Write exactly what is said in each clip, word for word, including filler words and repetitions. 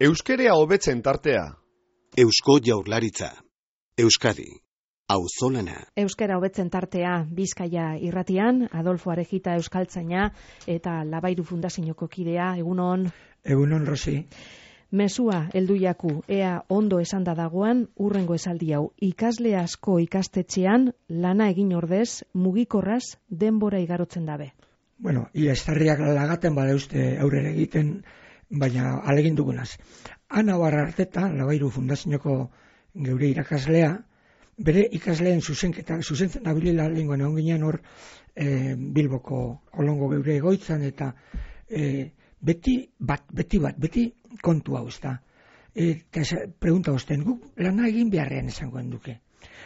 Euskerea hobetzen tartea. Eusko Jaurlaritza. Euskadi. Auzolana. Euskera hobetzen tartea Bizkaia irratian, Adolfo Arejita euskaltzaina eta Labairu Fundazioko kidea. Egunon. Egunon, Rosi. Mesua heldu jaku, ea ondo esanda dagoan, urrengo esaldi hau. Ikasle asko ikastetxean, lana egin ordez, mugikorraz denbora igarotzen dabe. Bueno, ia estarriak lagaten bada uste aurrera egiten, baina alegin dugunaz. Ana Bararteta, Labairu Fundazioko geure irakaslea, bere ikasleen zuzenketa, zuzentzen abilila lenguan egon ginen hor e, Bilboko Kolongo geure egoitzan, eta e, beti bat, beti bat, beti kontu hau ez da. Eta pregunta osten, guk lana egin beharrean esangoen duke.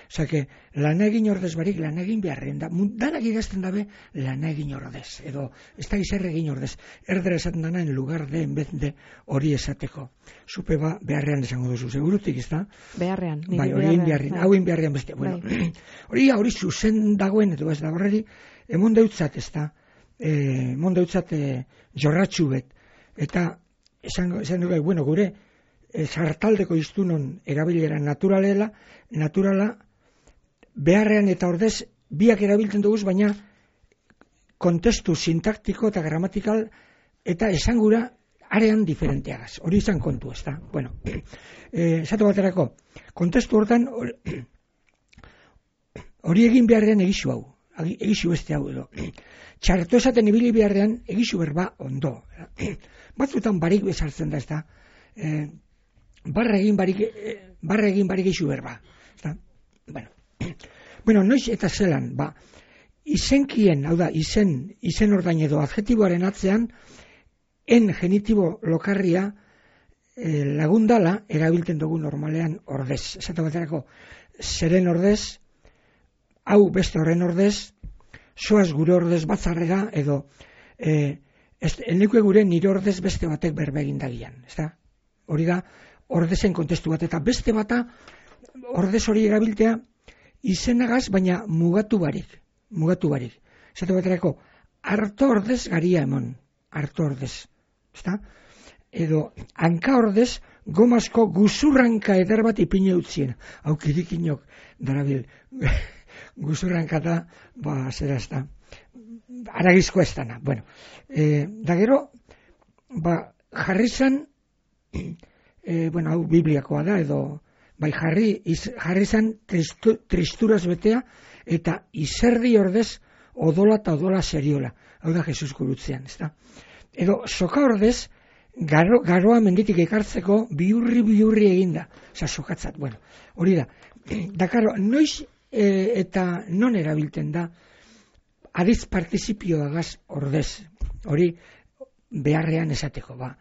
Osa, que lana egin ordez barik, lana egin beharrean da. Danak idazten dabe, lana egin ordez. Edo, ez da izerre egin ordez. Erdera esaten dana, en lugar de, en vez de, hori esateko. Zupe ba, beharrean esango duzu, segurutik, ez da? Beharrean. Bai, hori egin beharrean, hau egin beharrean beste. Bueno, hori, hori zuzen dagoen, edo ez da, horreri, emon deutzat, ez da, emon deutzat jorratxu bet. Eta, esan, esan dugu, bueno, gure, sartaldeko iztunon erabilera naturalela, naturala, beharrean eta ordez, biak erabiltzen duguz, baina kontestu sintaktiko eta gramatikal eta esangura arean diferenteagaz. Hori izan kontu, ez da? Bueno, eh, esatu baterako, kontestu hortan, hori egin beharrean egizu hau, egizu beste hau edo. Txarto esaten ibili beharrean egizu berba ondo. Batzutan barik bezartzen da, ez da? Eh, barra egin barik, eh, barra egin barik egizu berba. Ez da? Bueno. Bueno, noiz eta zelan, ba, izenkien, hau da, izen, izen ordain edo adjetiboaren atzean, en genitibo lokarria eh, lagundala erabiltzen dugu normalean ordez. Esatu baterako, zeren ordez, hau beste horren ordez, soaz gure ordez batzarrera, edo eh, eneko gure nire ordez beste batek berba egin dagian. Ez da? Hori da, ordezen kontestu bat, eta beste bata ordez hori erabiltea, izenagaz, baina mugatu barik, mugatu barik. Esate baterako, harto ordez garia emon, harto ordez. Ezta? Edo, hanka ordez, gomazko guzurranka eder bat ipine utzien. Hau kirikinok, darabil, guzurranka da, ba, zera ez da, aragizko ez dana. Bueno, e, da gero, ba, jarri zan, e, bueno, hau bibliakoa da, edo, bai jarri, iz, jarri zan tristu, tristuraz betea, eta izerdi ordez odola eta odola seriola. Hau da Jesus gurutzean, ez da? Edo soka ordez, garo, garoa menditik ekartzeko biurri biurri eginda. Osa, sokatzat, bueno, hori da. Dakaro, noiz e, eta non erabilten da, adiz partizipioagaz ordez, hori beharrean esateko, ba.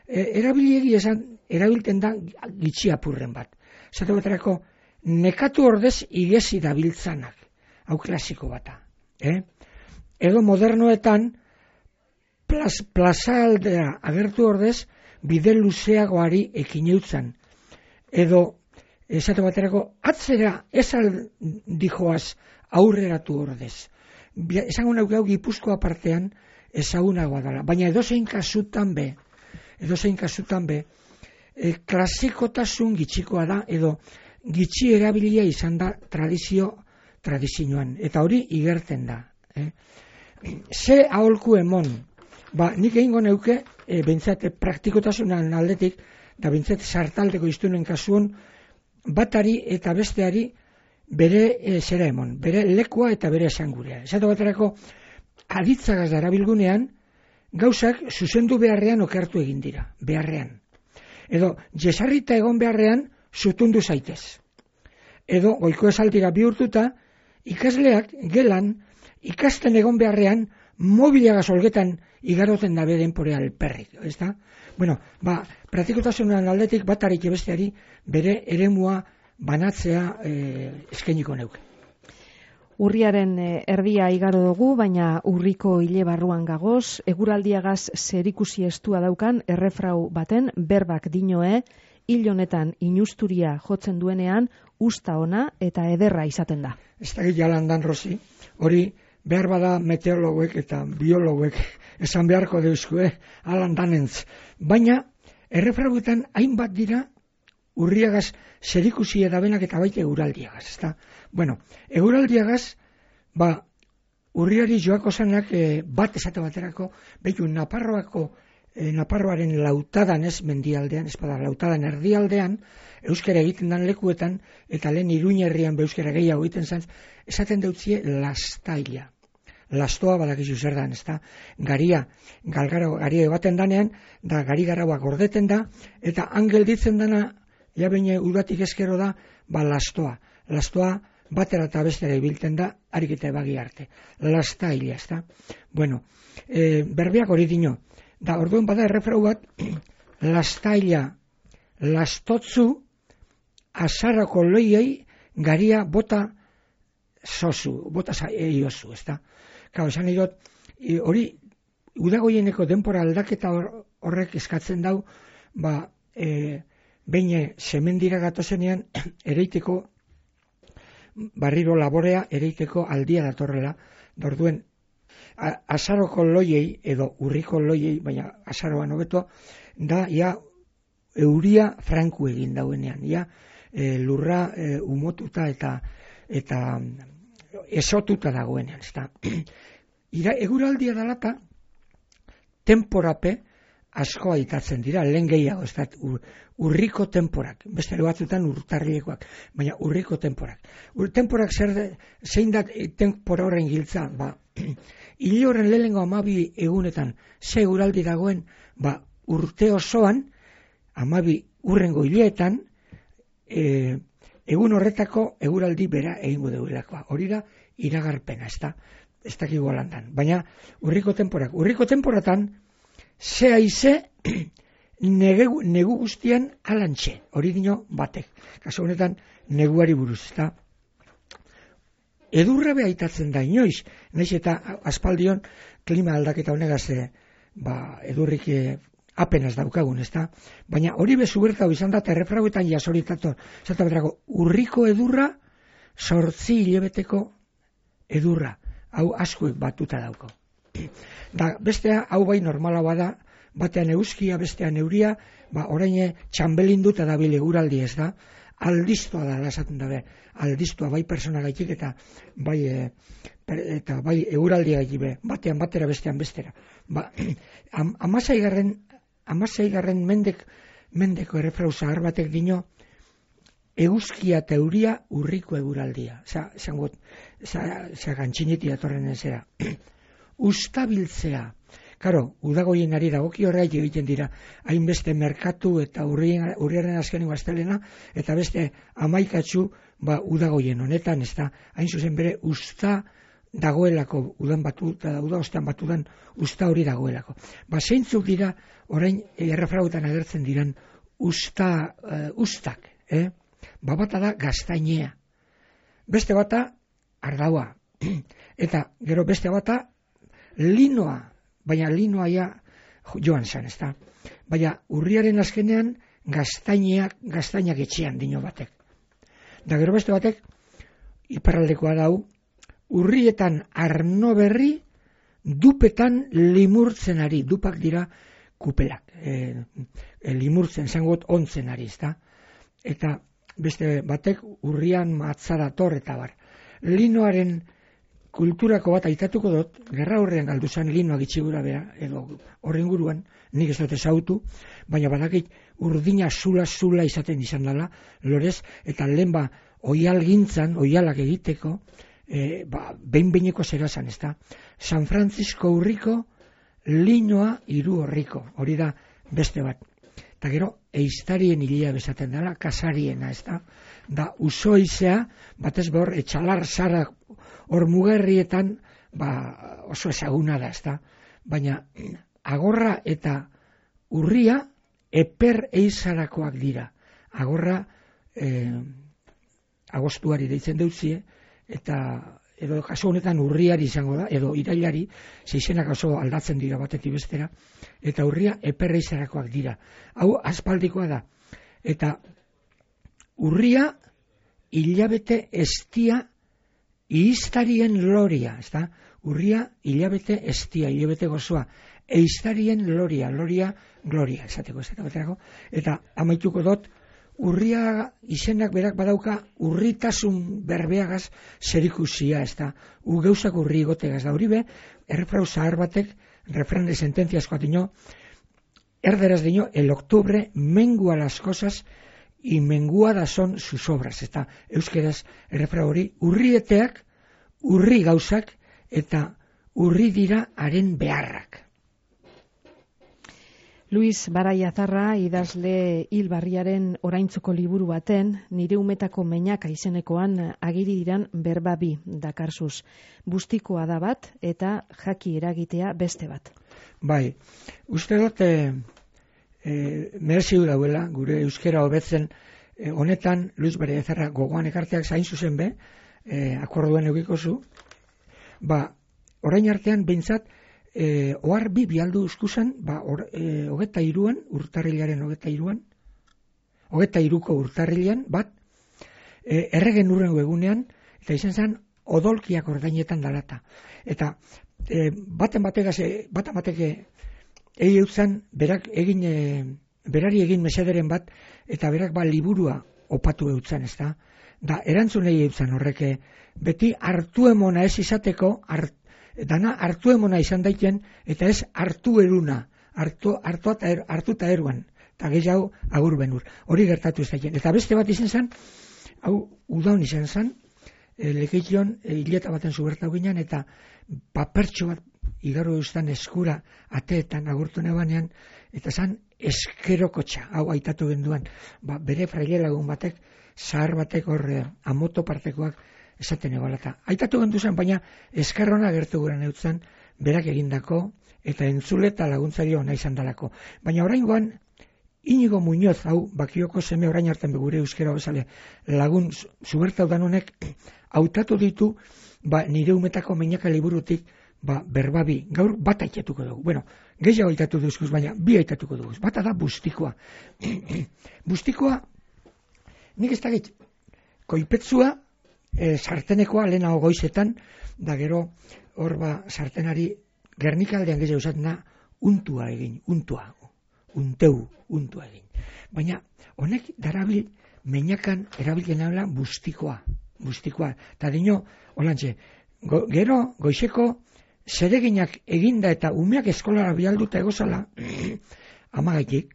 E, erabiliegi esan, erabilten da gitxi apurren bat. Zate baterako, nekatu ordez igezi dabiltzanak, hau klasiko bata. Eh? Edo modernoetan, plaz, plaza aldea agertu ordez, bide luzeagoari ekin eutzan. Edo, zate baterako, atzera ezal dijoaz aurreratu ordez. Esango nauk hau Gipuzkoa partean ezagunagoa dela, baina edozein kasutan be, edozein kasutan be, E, klasikotasun gitxikoa da, edo gitxi erabilia izan da tradizio tradizioan, eta hori igerten da. Eh? Ze aholku emon, ba, nik egingo neuke, e, bintzate praktikotasunan aldetik, da bintzate sartaldeko iztunen kasuan, batari eta besteari bere e, zera emon, bere lekua eta bere esangurea. Esatu baterako, aditzagaz da erabilgunean, gauzak zuzendu beharrean okertu egin dira, beharrean. Edo, jesarrita egon beharrean, zutundu zaitez. Edo, goiko esaldira bihurtuta, ikasleak gelan, ikasten egon beharrean, mobiliagaz olgetan igaroten dabe denporea alperrik. Ez da? Bueno, ba, praktikotasunaren aldetik batarik ebesteari bere eremua banatzea eh, eskainiko neuke. Urriaren erdia igaro dugu, baina urriko hile barruan gagoz, eguraldiagaz zerikusi estua daukan errefrau baten berbak dinoe, hil honetan inusturia jotzen duenean, usta ona eta ederra izaten da. Ez da jalandan, Rosi, hori behar bada meteorologuek eta biologuek esan beharko deuzkue, alan danentz. Baina, errefrauetan hainbat dira urriagaz zerikusia da benak eta baita eguraldiagaz, ezta? Bueno, eguraldiagaz, ba, urriari joako zanak e, bat esate baterako, behitu Naparroako, e, Naparroaren lautadan ez mendialdean, ez bada, lautadan erdialdean, euskara egiten dan lekuetan, eta lehen Iruñerrian euskara gehiago egiten zan, esaten deutzie lastaila. Lastoa badakizu zer dan, ezta? Garia, galgara, garia ebaten danean, da gari garauak gordeten da, eta angel ditzen dana, ja baina udatik eskero da, ba lastoa. Lastoa batera eta bestera ibiltzen da, harik eta ebagi arte. Lastaila, ezta? Bueno, e, berbeak hori dino. Da, orduen bada errefrau bat, lastaila, lastotzu, azarako loiei, garia bota zozu, bota eiozu, ezta? Kau, esan idot, hori, udagoieneko denpora aldaketa horrek eskatzen dau, ba, e, behin semendira gatozenean, ereiteko, barriro laborea, ereiteko aldia datorrela, dorduen, azaroko loiei, edo urriko loiei, baina azaroan hobeto, da, ja, euria franku egin dauenean, ja, e, lurra e, umotuta eta, eta esotuta dagoenean, ezta. Ira, eguraldia dalata, temporape asko aitatzen dira, lehen gehiago, ez da, ur, urriko temporak, beste batzutan urtarriekoak, baina urriko temporak. Ur, temporak zer de, zein da tempora horren giltza, ba, hile horren lehengo amabi egunetan, ze eguraldi dagoen, ba, urte osoan, amabi urrengo hileetan, e, egun horretako eguraldi bera egingo deulakoa. Hori da, iragarpena, ez da, ez dakigu alandan. Baina, urriko temporak, urriko temporatan, ze haize, negu, negu guztian alantxe, hori dino batek. Kaso honetan, neguari buruz, ez da. Edurra behaitatzen da inoiz, nahiz eta aspaldion klima aldaketa honegaz, ba, edurrik apenas daukagun, ez da. Baina hori bezu bertau izan da, errefrauetan jasoritato, zata betrako, urriko edurra, sortzi hilebeteko edurra, hau askuek batuta dauko. Da, bestea, hau bai normala bada, batean euskia, bestean euria, ba, orain txambelinduta da bile eguraldi ez da, aldiztua da, lasatzen da, aldiztua bai persona gaitik eta bai, e, eta bai eguraldia gaitik be, batean batera, bestean bestera. Ba, am, amasaigarren, amasaigarren mendek, mendeko errefrau zahar batek dino, eguzkia eta euria urriko eguraldia. Osa, zangot, osa, gantxiniti datorren ezera. Ustabiltzea. Karo, udagoien ari dagoki horreik egiten dira, hainbeste merkatu eta urriaren azkenengo astelena, eta beste amaikatzu, ba, udagoien honetan, ez da, hain zuzen bere, usta dagoelako, udan batu, da, uda ostean batudan, usta hori dagoelako. Ba, zeintzuk dira, orain, errefrauetan agertzen diran, usta, uh, ustak, eh? Ba, bata da gaztainea. Beste bata, ardaua. Eta, gero beste bata, linoa. Baina linoa ja joan zen, ez da. Baina urriaren azkenean gaztainak, gaztainak etxean dino batek. Da gero beste batek, iparraldekoa dau, urrietan arno berri, dupetan limurtzen ari, dupak dira kupelak, e, e, limurtzen zangot ontzen ari, ez da. Eta beste batek urrian matzadator eta bar. Linoaren kulturako bat aitatuko dut, gerra horrean galdu zen linoak itxigura bera, edo horren guruan, nik ez dut ezautu, baina badakit urdina zula-zula izaten izan dela, lorez, eta lehen ba, oial gintzan, oialak egiteko, e, ba, behin-behineko zerazan, ez da. San Francisco urriko, linoa hiru horriko, hori da beste bat. Eta gero, eiztarien hilia bezaten dela, kasariena, ez da. Da, usoizea, batez behor, etxalar zara hor mugerrietan, ba, oso ezaguna da, ez da. Baina, agorra eta urria, eper eizarakoak dira. Agorra, eh, agostuari deitzen dutzie, eta edo kaso honetan urriari izango da, edo irailari, zeizenak oso aldatzen dira batetik bestera, eta urria eper eizarakoak dira. Hau aspaldikoa da. Eta urria hilabete estia ihiztarien loria, ez da? Urria hilabete estia, hilabete gozoa. eiztarien loria, loria, gloria, esateko, esateko, eta amaituko dut, urria izenak berak badauka urritasun berbeagaz zerikusia, ez da, u gauzak urri gotegaz da, hori be, errefrau zahar batek, refrán de sentenciasko atino, erderaz dino, el octubre mengua las cosas y menguadas son sus obras, ez da, euskeraz errefrau hori, urrieteak, urri gauzak, eta urri dira haren beharrak. Luis Baraiazarra idazle hilbarriaren oraintzuko liburu baten, nire umetako meinaka izenekoan agiri diran berbabi dakarzuz. Bustikoa da bat eta jaki eragitea beste bat. Bai, uste dut e, e, mereziu dauela, gure euskera hobetzen e, honetan Luis Baraiazarra gogoan ekarteak zain zuzen be, e, akorduen eukiko zu, ba, orain artean behintzat, E, ohar bi bialdu uskusan, ba, or, e, hogeta iruan, urtarrilaren hogeta iruan, hogeta iruko urtarrilean, bat, e, erregen urrengo egunean, eta izan zen, odolkiak ordainetan dalata. Eta, e, baten bategaz, e, baten bateke, egi eutzan, berak egin, e, berari egin mesederen bat, eta berak ba liburua opatu eutzan, ez da? Da, erantzun egi eutzan horreke, beti hartu emona ez izateko, hartu, dana hartu emona izan daiten, eta ez hartu eruna, hartu, hartu, er, hartu eta eruan, eta gehiago agur benur. Hori gertatu ez daiten. Eta beste bat izan zen, hau udaun izan zen, e, lekeition e, hileta baten zubertau ginen, eta papertxo bat igaro eustan eskura ateetan agurtu nebanean, eta zen eskerokotxa, hau aitatu genduan, ba, bere fraile lagun batek, zahar batek horre, amoto partekoak, esaten ebalata. Aitatu gendu zen, baina eskarrona gertu guren eutzen, berak egindako, eta entzule eta laguntzari ona izan dalako. Baina oraingoan, Inigo Muñoz, hau, bakioko seme orain hartan begure euskera bezale, lagun zubertau dan honek, hautatu ditu, ba, nire umetako meinaka liburutik, ba, berbabi, gaur bat aitatuko dugu. Bueno, gehiago aitatu duzkuz, baina bi aitatuko dugu. Bata da bustikoa. Bustikoa, nik ez dakit, koipetzua, E, sartenekoa lehenago goizetan, da gero hor ba sartenari Gernikaldean gehiago esaten da untua egin, untua, unteu, untua egin. Baina honek darabil meinakan erabiltzen dela bustikoa, bustikoa. Ta dino, holantxe, go, gero goizeko zereginak eginda eta umeak eskolara bialduta egozala, amagaitik,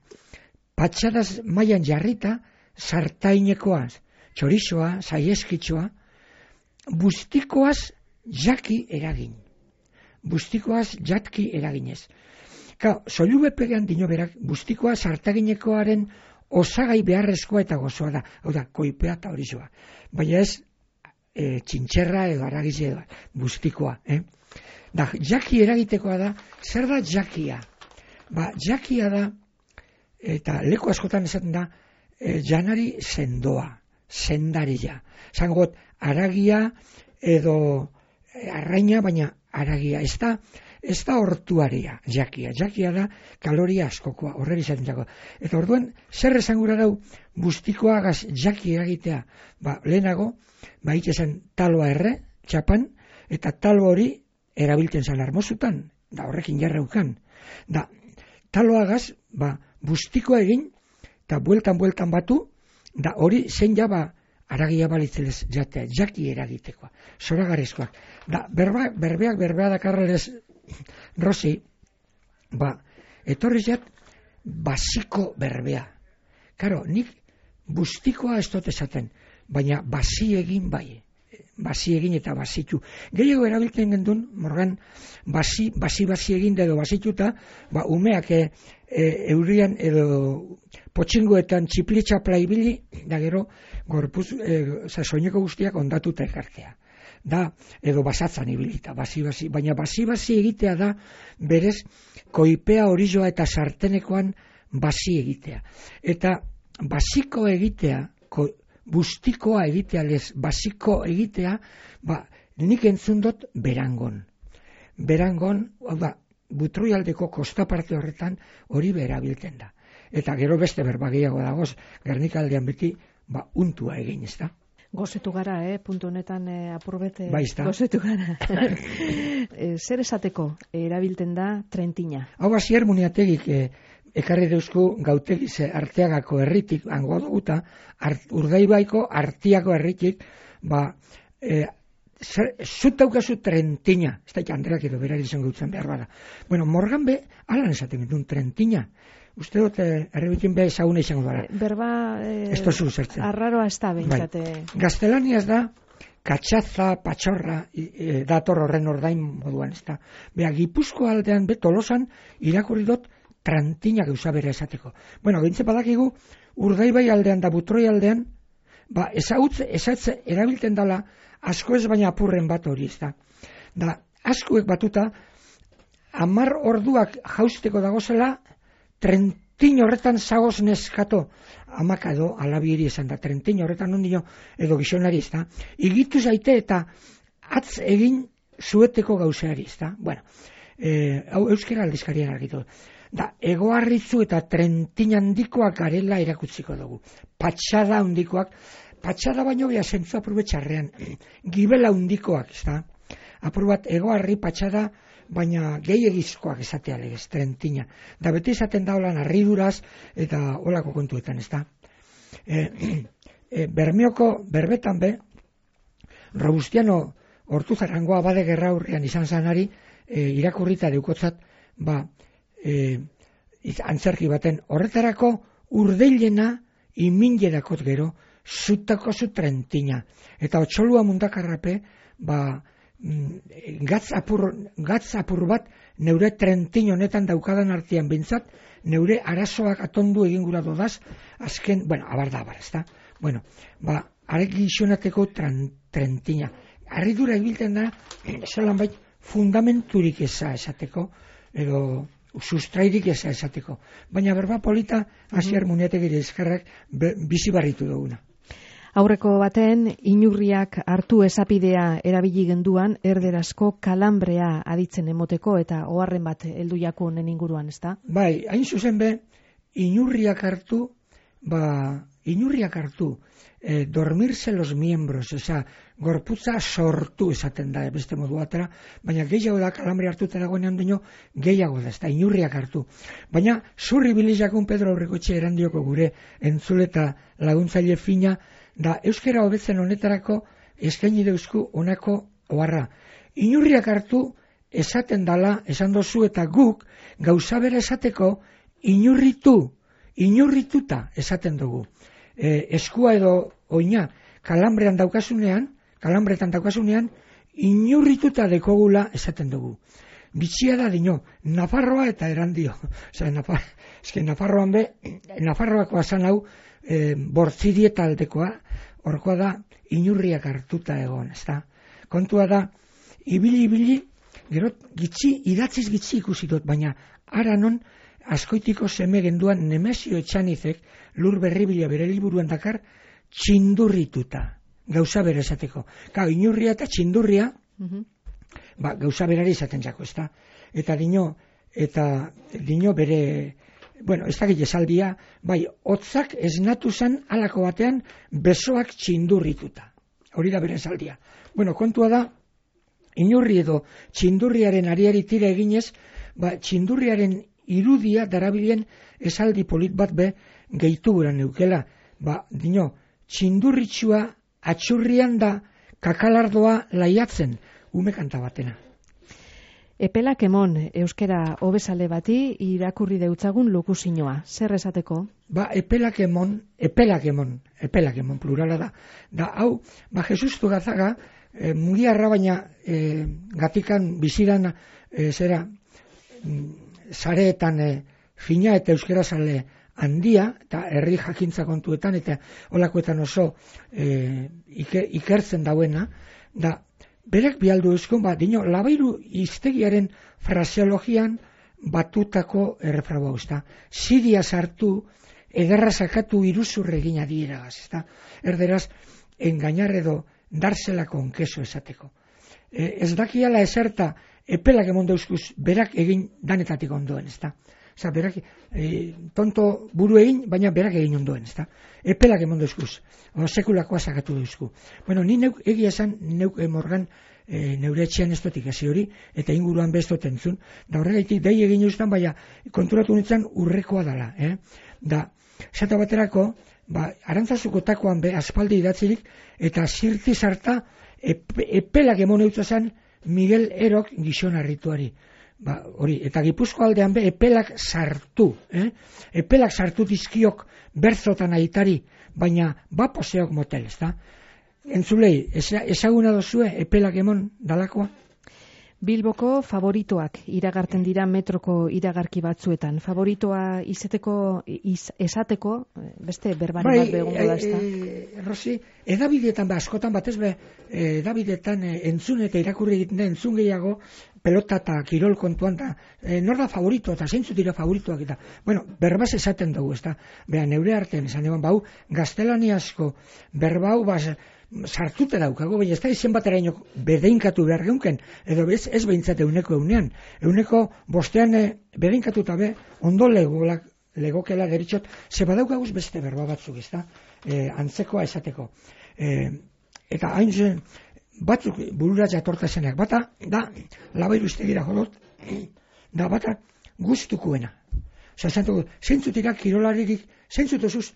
patxadaz mailan jarrita, sartainekoaz, txorizoa, saieskitzoa, bustikoaz jaki eragin. Bustikoaz jatki eraginez. Ka, soilu bepegean dino berak, bustikoa sartaginekoaren osagai beharrezkoa eta gozoa da. Hau da, koipea eta horizoa. Baina ez, e, txintxerra edo aragize edo, bustikoa. Eh? Da, jaki eragitekoa da, zer da jakia? Ba, jakia da, eta leku askotan esaten da, e, janari sendoa. Sendaria. Zangot, aragia edo arraina, baina aragia. Ez da, ez da hortuaria, jakia. Jakia da kaloria askokoa, horrela izaten dago. Eta orduan, zer esangura dau bustikoagaz jaki eragitea? Ba, lehenago, ba, zen taloa erre, txapan, eta talo hori erabiltzen zan armozutan, da horrekin jarraukan. Da, taloagaz, ba, bustikoa egin, eta bueltan-bueltan batu, da hori zein jaba aragia balitzelez jatea, jaki eragitekoa, zoragarezkoak. Da, berba, berbeak berbea dakarrelez, Rosi, ba, etorri zat, basiko berbea. Karo, nik bustikoa ez dut esaten, baina basi egin bai, basi egin eta basitu. Gehiago erabiltzen gendun, morgan, basi, basi, basi egin edo basituta, ba, umeak e, e, eurian edo potxingoetan txiplitxapla ibili, da gero, gorpuz, e, soineko guztiak ondatuta ekartea. Da, edo basatzan ibilita, basi-basi, baina basi-basi egitea da, berez, koipea horizoa eta sartenekoan basi egitea. Eta basiko egitea, ko, bustikoa egitea lez, basiko egitea, ba, nik entzun dut berangon. Berangon, hau da, Butroialdeko kostaparte horretan hori berabilten da. Eta gero beste berba gehiago dagoz, Gernikaldean beti, ba, untua egin, ez da? Gozetu gara, eh? Puntu honetan eh, apurbete Baizta. gozetu gara. e, zer esateko erabilten da trentina? Hau hasier muniategik eh, ekarri deuzku gautegize Arteagako herritik, hango duguta, art, Urdaibaiko Artiako herritik, ba, eh, zut daukazu trentina, ez da Andreak edo berari izan gautzen behar bada. Bueno, Morgan be, alan esaten duen trentina. Uste dut, errebitin be ezaguna izango dara. Berba, eh, ez tozu zertzen. arraroa ez da behintzate. Bai. Gaztelaniaz da, katxaza, patxorra, e, dator horren ordain moduan, ez da. Bea, Gipuzko aldean, be, Tolosan, irakurri dut, trantina gauza bera esateko. Bueno, gintze badakigu, Urdaibai aldean da Butroi aldean, ba, ezagutze, ezatze, erabilten dala, asko ez baina apurren bat hori, ez da. Da, askuek batuta, amar orduak jausteko dagozela, trentin horretan zagoz neskato, amaka edo alabiri esan da, trentin horretan ondio edo gizonari, ez da. Igitu zaite eta atz egin zueteko gauzeari, ez da. Bueno, eh, hau euskera aldizkarian argitu. Da, egoarritzu eta trentin handikoak garela erakutziko dugu. Patxada handikoak, patxada baino beha zentzu apurbe txarrean, gibela handikoak, ez da. Apur bat egoarri patxada, baina gehiagizkoak esatea legez, trentina. Da beti esaten da holan harriduraz eta holako kontuetan, ez da. E, e, Bermeoko, berbetan be, Robustiano Hortuzarrangoa abade gerra hurrian izan zanari, e, irakurrita deukotzat, ba, e, antzerki baten, horretarako urdeilena iminjedakot gero, zutako zu trentina. Eta otxolua mundakarrape, ba, gatz apur, gatz apur bat neure trentin honetan daukadan artean bintzat, neure arazoak atondu egin gura dodaz, azken, bueno, abar da, abar, ez da? Bueno, ba, arek gizionateko trentina. Arridura ebilten da, zelan bait, fundamenturik eza esateko, edo sustrairik eza esateko. Baina berba polita, hasier muniategire eskerrak bizi barritu duguna. Aurreko baten, inurriak hartu esapidea erabili genduan, erderazko kalambrea aditzen emoteko eta oharren bat heldu jako honen inguruan, ez da? Bai, hain zuzen be, inurriak hartu, ba, inurriak hartu, eh, dormirse los miembros, eza, gorputza sortu esaten da, beste modu batera, baina gehiago da kalambre hartuta dagoenean dino, gehiago da, ez da, inurriak hartu. Baina, zurri bilijakun Pedro Aurrekoetxe erandioko gure entzuleta laguntzaile fina, da euskera hobetzen honetarako eskaini deuzku honako oharra. Inurriak hartu esaten dala, esan dozu eta guk gauza bera esateko inurritu, inurrituta esaten dugu. E, eskua edo oina kalambrean daukasunean, kalambretan daukasunean, inurrituta dekogula esaten dugu. Bitxia da dino, Nafarroa eta erandio. Osa, Nafar, eske Nafarroan be, Nafarroako asan hau, e, bortzidieta aldekoa, horkoa da, inurriak hartuta egon, ez da? Kontua da, ibili-ibili, gero, gitzi, idatziz gitzi ikusi dut, baina, ara non, askoitiko seme genduan Nemesio Etxanizek, lur berribila bere liburuan dakar, txindurrituta, gauza bere esateko. Ka, inurria eta txindurria, uh-huh. ba, gauza berari esaten jako, ez da? Eta dino, eta dino bere, bueno, ez dakit esaldia, bai, hotzak esnatu zen halako batean besoak txindurrituta. Hori da bere esaldia. Bueno, kontua da, inurri edo txindurriaren ariari tira eginez, ba, txindurriaren irudia darabilen esaldi polit bat be gehitu guran neukela. Ba, dino, txindurritxua atxurrian da kakalardoa laiatzen, ume kanta batena. Epelak emon, euskera hobezale bati irakurri deutzagun lokuzinoa. Zer esateko? Ba, epelak emon, epelak emon, epelak emon, plurala da. Da, hau, ba, Jesus Tugazaga, e, mungiarra baina e, gatikan bizidan, e, zera, zareetan e, fina eta euskera zale handia, eta herri jakintza kontuetan, eta holakoetan oso e, ikertzen dauena, da, berek bialdu euskun, ba, dino, labairu iztegiaren fraseologian batutako errefraua usta. Zidia sartu, ederra sakatu iruzurre egin adieraz, ezta? Erderaz, engainar edo darsela con queso esateko. E, ez dakiala eserta epelak emon dauzkuz berak egin danetatik ondoen, ezta? Osa, berak, e, tonto buru egin, baina berak egin ondoen, ezta? Epelak emon duzkuz, o, sekulakoa sakatu duzku. Bueno, ni neuk, egia esan, neuk emorgan, e, neure etxean ez dotik hasi hori, eta inguruan beztot entzun, da horregaitik dei egin eustan, baina konturatu nintzen urrekoa dala, eh? Da, esate baterako, ba, Arantzazuko takoan be, aspaldi idatzirik, eta zirti sarta, epe, epelak emon eutxosan Miguel Erok gizon harrituari. Ba, hori, eta Gipuzko aldean be, epelak sartu, eh? Epelak sartu dizkiok berzotan aitari, baina ba poseok motel, ezta? Entzulei, ezaguna dozue epelak emon dalakoa? Bilboko favoritoak iragarten dira metroko iragarki batzuetan. Favoritoa izeteko, iz, esateko, beste berbari bai, bat begongo da, ezta? E, Rosi, edabidetan, ba, askotan batez be, edabidetan e, entzun eta irakurri egiten da, entzun gehiago, pelota eta kirol kontuan da, e, nor da favorito, eta zeintzu dira favoritoak eta, bueno, berbaz esaten dugu, ezta? Beha, neure artean esan egon, bau, gaztelaniazko berbau, baz, sartute daukago, baina ez da izen bateraino bedeinkatu behar geunken, edo ez, ez behintzat euneko eunean. Euneko bostean e, bedeinkatuta be, ondo legolak, legokela deritxot, ze badaukaguz beste berba batzuk, ez da, e, antzekoa esateko. E, eta hain zen, batzuk burura jatorta zenak, bata, da, labairu iztegira jolot, da, bata, guztukuena. Osa, zantuko, zentzutira kirolaririk, zentzutozuz,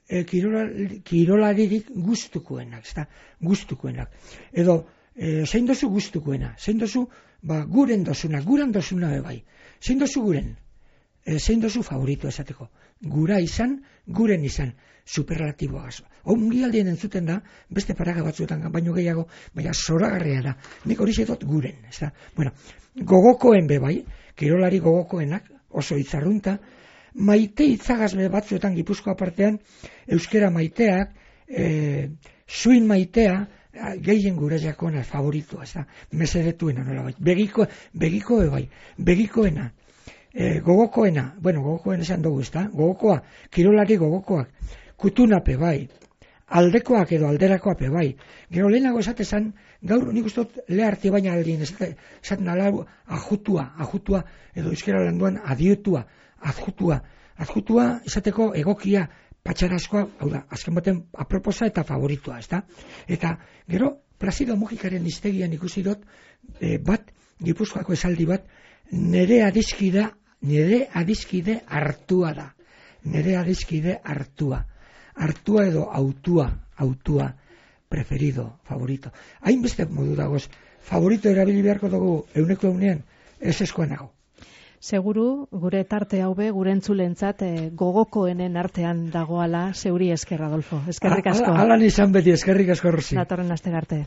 E, kirolari, kirolaririk guztukoenak, ezta, guztukoenak. Edo, e, zein dozu guztukoena, zein dozu, ba, guren dozuna, guran dozuna bai, zein dozu guren, e, zein dozu favorito esateko, gura izan, guren izan, superlatiboa gazo. Ongi aldien entzuten da, beste paraga batzuetan baino gehiago, baina zoragarria da, nik hori zetot guren, ezta. Bueno, gogokoen be bai, kirolari gogokoenak, oso itzarrunta, maite itzagazle batzuetan Gipuzkoa partean, euskera maiteak, e, suin maitea, gehien gure jakona favoritoa, ez da, mesedetuena nola bai, begiko, begiko bai, begikoena, e, gogokoena, bueno, gogokoen esan dugu, ez da, gogokoa, kirolari gogokoak, kutunape bai, aldekoak edo alderakoape bai, gero lehenago esatezan, gaur nik ustot leharti baina aldien, esaten alaru, ajutua, ajutua, edo euskera landuan adiutua, adjutua, adjutua esateko egokia patxarazkoa, hau da, azken baten aproposa eta favoritua, ez da? Eta gero, Plazido Mujikaren iztegian ikusi dut, e, bat, Gipuzkoako esaldi bat, nere adiskide, nere adiskide hartua da, nere adiskide hartua, hartua edo autua, autua, preferido, favorito. Hainbeste modu dagoz, favorito erabili beharko dugu euneko eunean, ez eskoenago. Seguru, gure tarte haube, gure entzulentzat e, gogokoenen artean dagoala, zeuri esker, Adolfo. Eskerrik asko. Alan izan beti, eskerrik asko, Rosi. Datorren aste arte.